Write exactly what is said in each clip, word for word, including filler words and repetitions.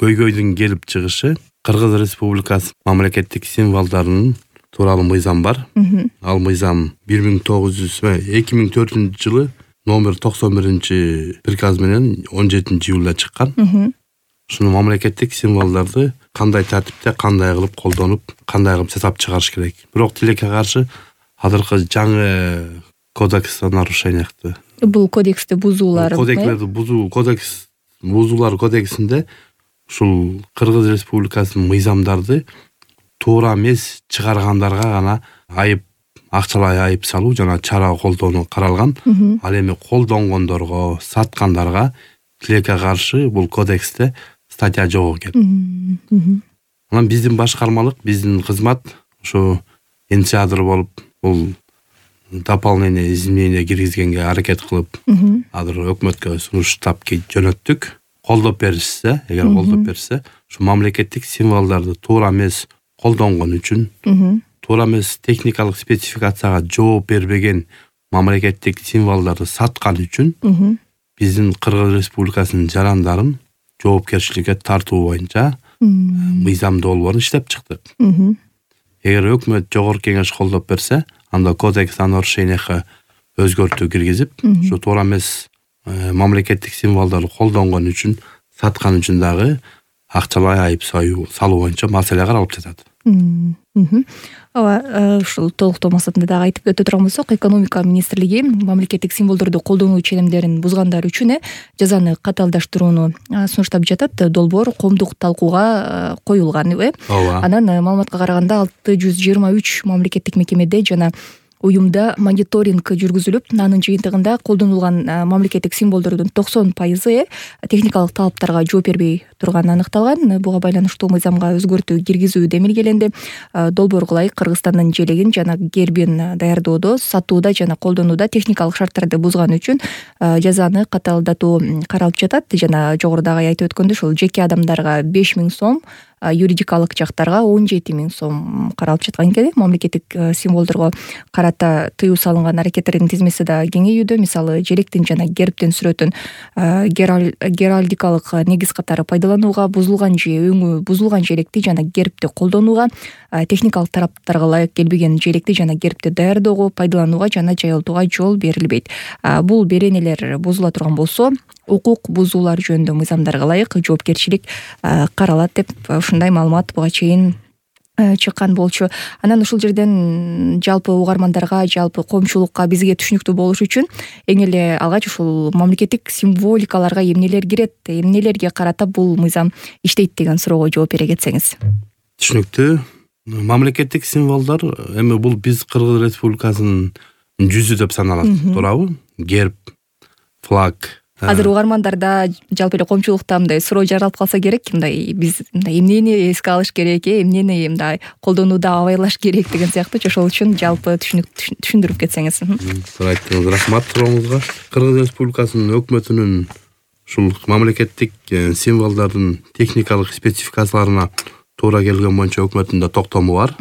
көйгөйдүн келип чыгышы Кыргыз Республикасы мамлекеттик символдорунун тууралуу мыйзам бар. Ал мыйзам бир миң тогуз жүз эки миң төртүнчү жылы номер токсон биринчи приказ менен он жетинчи июлда чыккан. Ушуну мамлекеттик символдорду кандай тартипте, кандай кылып колдонуп, кандай кылып жасап чыгарыш керек. Бирок тилекке каршы азыркы жаңы кодекс нарушенияты. Бул кодексти бузуулар. Кодексти бузуу, кодекс бузуулар кодексинде ушул Кыргыз Республикасынын мыйзамдарды туура эмес чыгаргандарга гана айып, акчалай айып салуу жана чара колдонуу каралган. Ал эми колдонгондорго, саткандарга тилекке каршы бул кодексте статья жок экен. Анан биздин башкармалык, биздин кызмат ушу инициатор болуп, бул дополнение изменение киргизгенге аракет кылып, азыр өкмөткө сунуштап жөнөттүк. Колдоп беришсе, эгер колдоп берсе, ушу мамлекеттик символдорду туура эмес колдонгон үчүн, туура эмес техникалык спецификацияга жооп бербеген мамлекеттик символдорду саткан үчүн биздин Кыргыз Республикасынын жарандарын жоопкерчиликке тартуу боюнча мыйзам долбоорун иштеп чыктык. Эгер өкмөт жогорку кеңеш колдоп берсе, анда кодекс нарушенияга өзгөртүү киргизип, ушу туура эмес мамлекеттик символдорду колдонгон үчүн, саткан үчүн дагы акчалай айып салуу боюнча маселе каралып жатат. Ооба, ушул толуктоо максатында дагы айтып өтө турган болсок, экономика министрлиги мамлекеттик символдорду колдонуу ченемдерин бузгандар үчүн жазаны катаалдаштырууну сунуштап жатат. Долбоор коомдук талкууга коюлган, э? Анан маалыматка караганда алты жүз жыйырма үч мамлекеттик мекемеде жана уюмда мониторинг жүргүзүлүп, анын жыйынтыгында колдонулган мамлекеттик символдордун токсон пайызы техникалык талаптарга жооп бербей турганы аныкталган. Буга байланыштуу мыйзамга өзгөртүү киргизүү демилгеленди. Долбоорго ылайык Кыргызстандын желегин жана гербин даярдоодо, сатууда жана колдонууда техникалык шарттарды бузган үчүн жазаны катаалдатуу каралып жатат. Жана жогорудагы айтып өткөндөй, ушул жеке адамдарга беш миң сом, юридикалык жактарга он жети миң сом каралып жаткан экен. Мамлекеттик символдорго карата тыюу салынган аракеттердин тизмеси да кеңейүүдө. Мисалы, желектин жана гербтин сүрөтүн геральдикалык негиз катары пайдаланууга, бузулган же өңү бузулган желекти жана гербти колдонууга, техникалык тараптарга ылайык келбеген желекти жана гербти даярдоого, пайдаланууга жана жайылтууга жол берилбейт. Бул беренелер бузула турган болсо, укук бузуулар жөнүндө мыйзамдарга ылайык жоопкерчилик каралат деп ушундай маалымат буга чейин чыккан болчу. Анан ушул жерден жалпы угармандарга, жалпы коомчулукка бизге түшүнүктүү болуш үчүн эң эле алгач ушул мамлекеттик символикаларга эмнелер кирет, эмнелерге карата бул мыйзам иштейт деген суроого жооп бере кетсеңиз. Түшүнүктүү. Мамлекеттик символдор эми бул биз Кыргыз Республикасынын жүзү деп саналат, туурабы? Герб, флаг. Азыр угармандарда, жалпы эле коомчулукта мындай суроо жаралып калса керек, мындай биз мындай эмнени эске алыш керек, эмнени мындай колдонууда абайлаш керек деген сыяктуу. Ошол үчүн жалпы түшүндүрүп кетсеңиз. Туура айттыңыз, рахмат сурооңузга. Кыргыз Республикасынын өкмөтүнүн ушул мамлекеттик символдордун техникалык спецификацияларына туура келген боюнча өкмөтүндө токтому бар.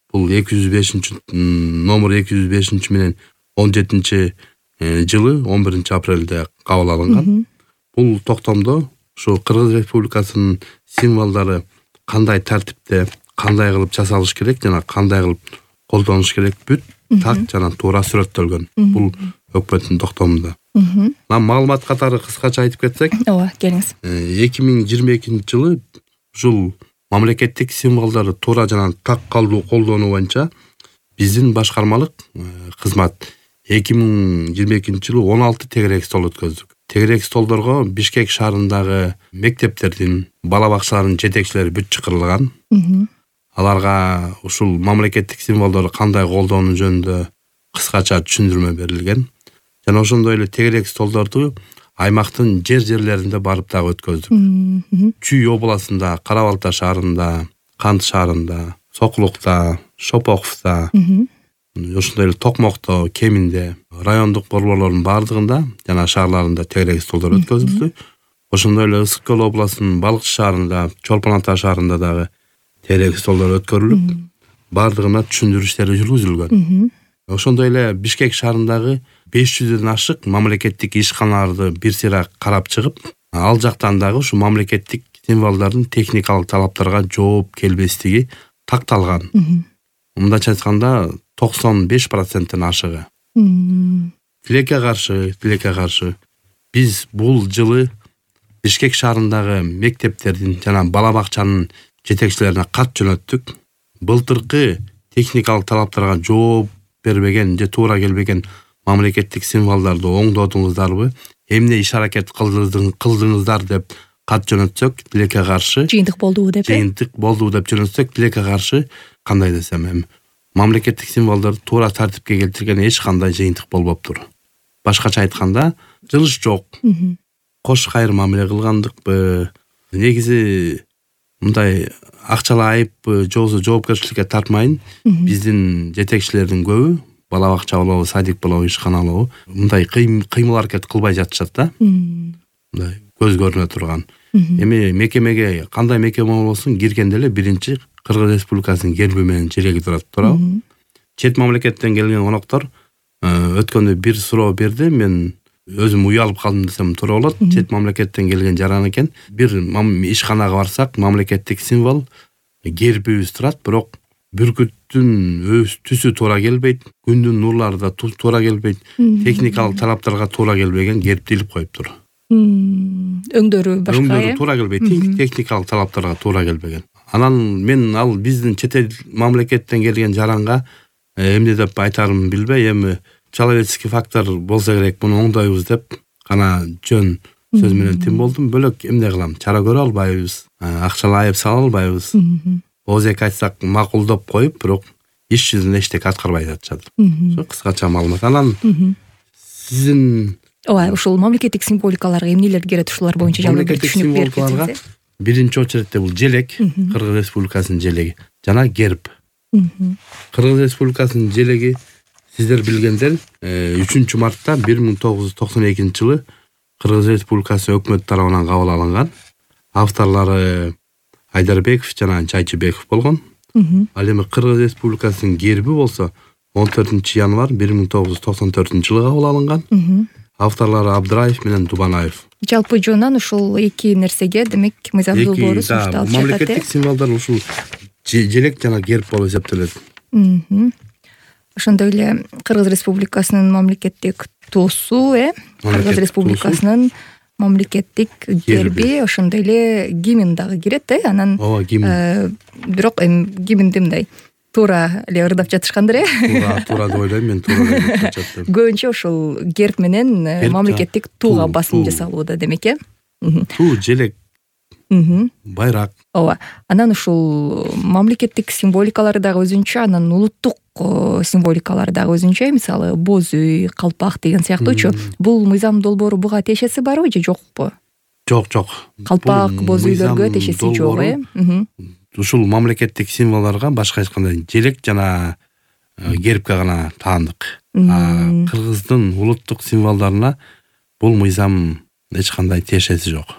Бул эки жүз бешинчи номер эки жүз бешинчи менен он жетинчи жылы он биринчи апрелде кабыл алынган. Бул токтомдо ушу Кыргыз Республикасынын символдору кандай тартипте, кандай кылып жасалыш керек жана кандай кылып колдонуш керек бүт так жана туура сүрөттөлгөн. Бул өкмөттүн токтомунда. Маалымат катары кыскача айтып кетсек, ооба, келиңиз. эки миң жыйырма экинчи жылы ушул мамлекеттик символдорду туура жана так колдонуу боюнча биздин башкармалык кызмат эки миң жыйырма экинчи жылы он алты тегерек стол өткөздүк. Тегерек столдорго Бишкек шаарындагы мектептердин, бала бакчаларынын жетекчилери бүт чакырылган. Аларга ушул мамлекеттик символдорду кандай колдонуу жөнүндө кыскача түшүндүрмө берилген. Жана ошондой эле тегерек столдорду аймактын жер-жерлеринде барып дагы өткөздүк. Чүй областында, Кара-Балта шаарында, Кант шаарында, Сокулукта, Шопоковто, ошондой эле Токмокто, Кеминде, райондук борборлордун бардыгында жана шаарларында тегерек столдор өткөзүлдү. Ошондой эле Ысык Көл областынын Балыкчы шаарында, Чолпон Ата шаарында дагы тегерек столдор өткөрүлүп, бардыгына түшүндүрүү иштери жүргүзүлгөн. Ошондой эле Бишкек шаарындагы беш жүздөн ашык мамлекеттик ишканаларды бир сыйра карап чыгып, ал жактан дагы ушу мамлекеттик символдордун техникалык талаптарга жооп келбестиги такталган. Мындайча айтканда токсон беш проценттен ашыгы. Тилекке каршы, тилекке каршы биз бул жылы Бишкек шаарындагы мектептердин жана бала бакчанын жетекчилерине кат жөнөттүк. Былтыркы техникалык талаптарга жооп бербеген же туура келбеген мамлекеттик символдорду оңдодуңуздарбы, эмне иш аракет кылдыңыздар деп кат жөнөтсөк, тилекке каршы жыйынтык болдубу деп жыйынтык болдубу деп жөнөтсөк, тилекке каршы кандай десем, эми мамлекеттик символдорду туура тартипке келтирген эч кандай жыйынтык болбоптур. Башкача айтканда, жылыш жок. Кош кайыр мамиле кылгандыкпы, негизи мындай акчалай айыппы, же болбосо жоопкерчиликке тартмайын, биздин жетекчилердин көбү, бала бакча болобу, садик болобу, ишкана болобу, мындай кыймыл аракет кылбай жатышат да. Мындай көз көрүнө турган. Эми мекемеге, кандай мекеме болсун, киргенде эле биринчи Кыргыз Республикасынын герби менен желеги турат, туурабы? Чет мамлекеттен келген коноктор өткөндө бир суроо берди, мен өзүм уялып калдым десем туура болот. Чет мамлекеттен келген жаран экен. Бир ишканага барсак, мамлекеттик символ гербибиз турат, бирок бүркүттүн өз түсү туура келбейт, күндүн нурлары да туура келбейт, техникалык талаптарга туура келбеген герб тилип коюптур. Өңдөрү башка, өңдөрү туура келбейт, техникалык талаптарга туура келбеген. Анан мен ал биздин чет эл мамлекеттен келген жаранга эмне деп айтарымды билбей, эми человеческий фактор болсо керек, муну оңдойбуз деп гана жөн сөз менен тим болдум. Бөлөк эмне кылам? Чара көрө албайбыз, акчалай айып сала албайбыз. Оозек айтсак макулдоп коюп, бирок иш жүзүндө эчтеке аткарбай жатышат. Ошо кыскача маалымат. Анан сиздин ооба, ушул мамлекеттик символикаларга эмнелер кирет, ушулар боюнча жалпы бир түшүнүк берип кетсеңиз. Биринчи очередте бул желек, Кыргыз Республикасынын желеги жана герб. Кыргыз Республикасынын желеги сиздер билгендер үчүнчү мартта бир миң тогуз жүз токсон экинчи жылы Кыргыз Республикасы өкмөтү тарабынан кабыл алынган. Авторлору Айдарбеков жана Чайчыбеков болгон. Ал эми Кыргыз Республикасынын герби болсо он төртүнчү январь бир миң тогуз жүз токсон төртүнчү жылы кабыл алынган. Авторлору Абдыраев менен Дубанаев. Жалпы жонан ушул эки нерсеге, демек, мыйзам долбоору сунушталып жатат. Мамлекеттик символдор ушул желек жана герб болуп эсептелет. Ошондой эле Кыргыз Республикасынын мамлекеттик туусу, э, Кыргыз Республикасынын мамлекеттик герби, ошондой эле гимн дагы кирет, э, анан ооба, гимн. Бирок эми гимнди мындай туура эле ырдап жатышкандыр, э? Туура, туура деп ойлойм мен, туура деп жатышат. Көбүнчө ушул герб менен мамлекеттик тууга басым жасалууда, демек, э? Туу, желек, байрак. Ооба. Анан ушул мамлекеттик символикалары дагы өзүнчө, анан улуттук символикалары дагы өзүнчө, мисалы боз үй, калпак деген сыяктуучу. Бул мыйзам долбоору буга тиешеси барбы же жокпу? Жок, жок. Калпак, боз үйлөргө тиешеси жок, э? Ушул мамлекеттик символдорго башка айтканда желек жана гербке гана таандык. Кыргыздын улуттук символдоруна бул мыйзам эч кандай тиешеси жок.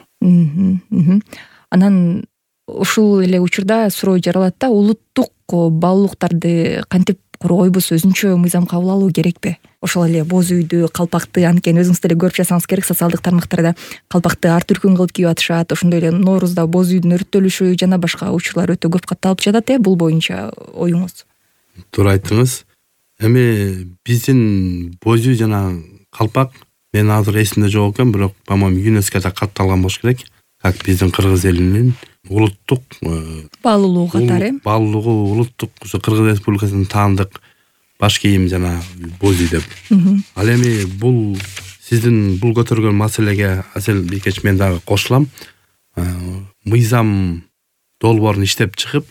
Анан ушул эле учурда суроо жаралат да, улуттук баалуулуктарды кантип коргойбуз, өзүнчө мыйзам кабыл алуу керекпи? Ошол эле боз үйдү, калпакты, анткени өзүңүз деле көрүп жатсаңыз керек, социалдык тармактарда калпакты ар түркүн кылып кийип атышат. Ошондой эле Ноорузда боз үйдүн өрттөлүшү жана башка учурлар өтө көп катталып жатат, э, бул боюнча оюңуз? Туура айттыңыз. Эми биздин боз үй жана калпак мен азыр эсимде жок экен, бирок по-моему ЮНЕСКОда катталган болуш керек. Как биздин кыргыз элинин улуттук баалуулугу катары, баалуулугу улуттук ушу Кыргыз Республикасынын таандык баш кийим жана боз үй деп. Ал эми бул сиздин бул көтөргөн маселеге Асел Бийкеч мен дагы кошулам. Мыйзам долбоорун иштеп чыгып,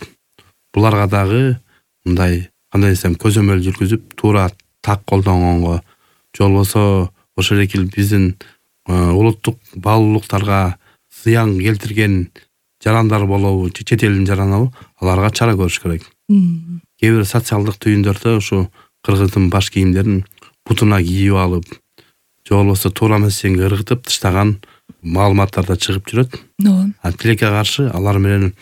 буларга дагы мындай кандай десем көзөмөл жүргүзүп, туура так колдонгонго, же болбосо ошол эле биздин улуттук баалуулуктарга зыян келтирген жарандар болобу, чет элдин жаранабы, аларга чара көрүш керек. Кээ бир социалдык түйүндөрдө ушу кыргыздын баш кийимдерин бутуна кийип алып, же болбосо туура эмесинге ыргытып таштаган маалыматтар да чыгып жүрөт. А тилекке каршы алар менен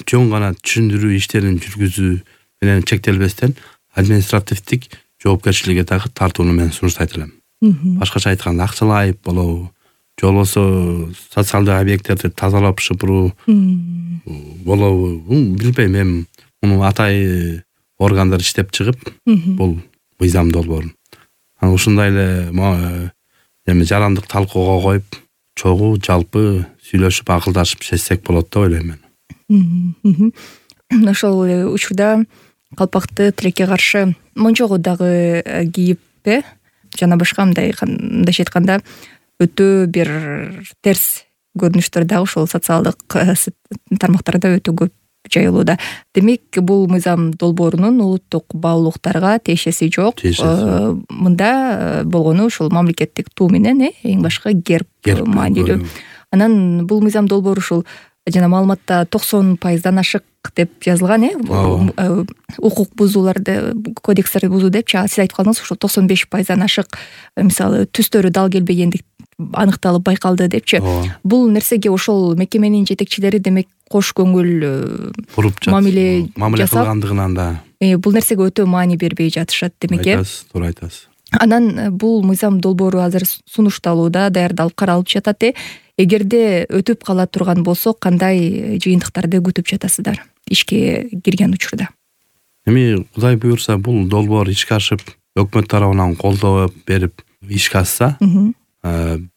жөн гана түшүндүрүү иштерин жүргүзүү менен чектелбестен административдик жоопкерчиликке дагы тартууну мен сунуштайт элем. Башкача айтканда акчалай айып болобу, же болбосо социалдык объекттерди тазалап шыпыруу болобу билбейм. Эми муну атайын органдар иштеп чыгып бул мыйзам долбоорун анан ушундай эле эми жарандык талкууга коюп чогуу жалпы сүйлөшүп акылдашып чечсек болот деп ойлойм мен. Ошол учурда калпакты тилекке каршы монжого дагы кийип э жана башка мындай мындайча айтканда өтө бир терс көрүнүштөр дагы ушул социалдык тармактарда өтө көп жайылууда. Демек бул мыйзам долбоорунун улуттук баалуулуктарга тиешеси жок. Мында болгону ушул мамлекеттик туу менен э эң башкы герб маанилүү. Анан бул мыйзам долбоору ушул жана маалыматта токсон пайыздан ашык деп жазылган э укук бузууларды кодекстерди бузуу депчи. Сиз айтып калдыңыз ушул токсон беш пайыздан ашык мисалы түстөрү дал келбегендик аныкталып байкалды депчи. Бул нерсеге ошол мекеменин жетекчилери демек кош көңүл куруп мамиле мамиле кылгандыгынан да бул нерсеге өтө маани бербей жатышат демек э. Айтасыз, туура айтасыз. Анан бул мыйзам долбоору азыр сунушталууда, даярдалып каралып жатат э. Эгерде өтүп кала турган болсо кандай жыйынтыктарды күтүп жатасыздар ишке кирген учурда? Эми Кудай буйрса бул долбоор ишке ашып, өкмөт тарабынан колдоо берип ишке ашса,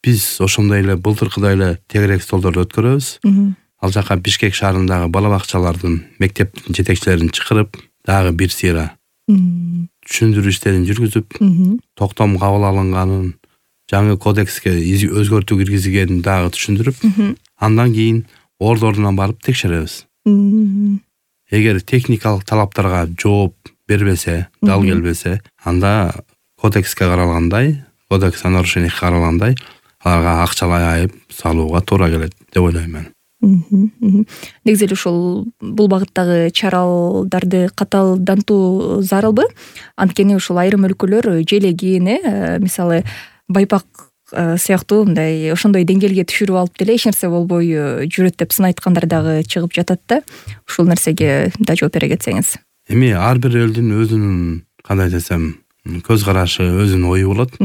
биз ошондой эле былтыркыдай эле тегерек столдорду өткөрөбүз. Ал жака Бишкек шаарындагы бала бакчалардын мектептин жетекчилерин чакырып, дагы бир сыйра түшүндүрүү иштерин жүргүзүп, токтом кабыл алынганын, жаңы кодекске өзгөртүү киргизилгенин дагы түшүндүрүп, андан кийин орду ордунан барып текшеребиз. Эгер техникалык талаптарга жооп бербесе, дал келбесе, анда кодекске каралгандай, кодекс о нарушениях каралгандай, аларга акчалай айып салууга туура келет деп ойлойм мен. Негизи эле ушул бул багыттагы чараларды катаалдантуу зарылбы? Анткени ушул айрым өлкөлөр желегин, э, мисалы Байпак сыяктуу мындай ошондой деңгээлге түшүрүп алып деле эч нерсе болбой жүрөт деп сын айткандар дагы чыгып жатат да. Ушул нерсеге да жооп бере кетсеңиз. Эми ар бир элдин өзүнүн кандай десем, көз карашы, өзүнүн ою болот.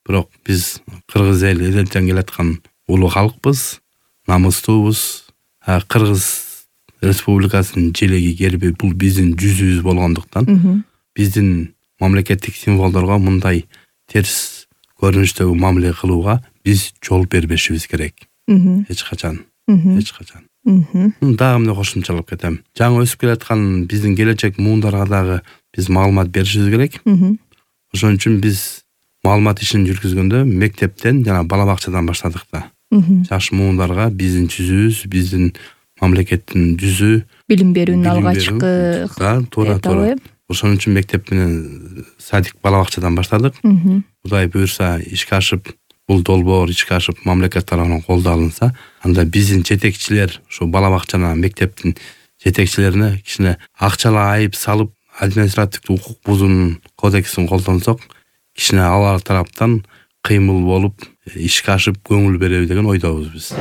Бирок биз кыргыз эл элден келаткан улуу калкпыз, намыстуубуз. Кыргыз Республикасынын желеги герби бул биздин жүзүбүз болгондуктан, биздин мамлекеттик символдорго мындай терс көрүнүштөгү мамиле кылууга биз жол бербешибиз керек. Эч качан, эч качан. Дагы эмне кошумчалап кетем. Жаңы өсүп келаткан биздин келечек муундарга дагы биз маалымат беришибиз керек. Ошон үчүн биз маалымат ишин жүргүзгөндө мектептен жана бала бакчадан баштадык да. Жаш муундарга биздин жүзүбүз, биздин мамлекеттин жүзү, билим берүүнүн алгачкы туура туура. Ошон үчүн мектеп менен садик бала бакчадан баштадык. Кудай буйрса ишке ашып, бул долбоор ишке ашып, мамлекет тарабынан колдоо алынса, анда биздин жетекчилер, ушу бала бакчанын, мектептин жетекчилерине кичине акчалай айып салып, административдик укук бузуунун кодексин колдонсок, кичине алар тараптан кыймыл болуп, ишке ашып көңүл береби деген ойдобуз биз.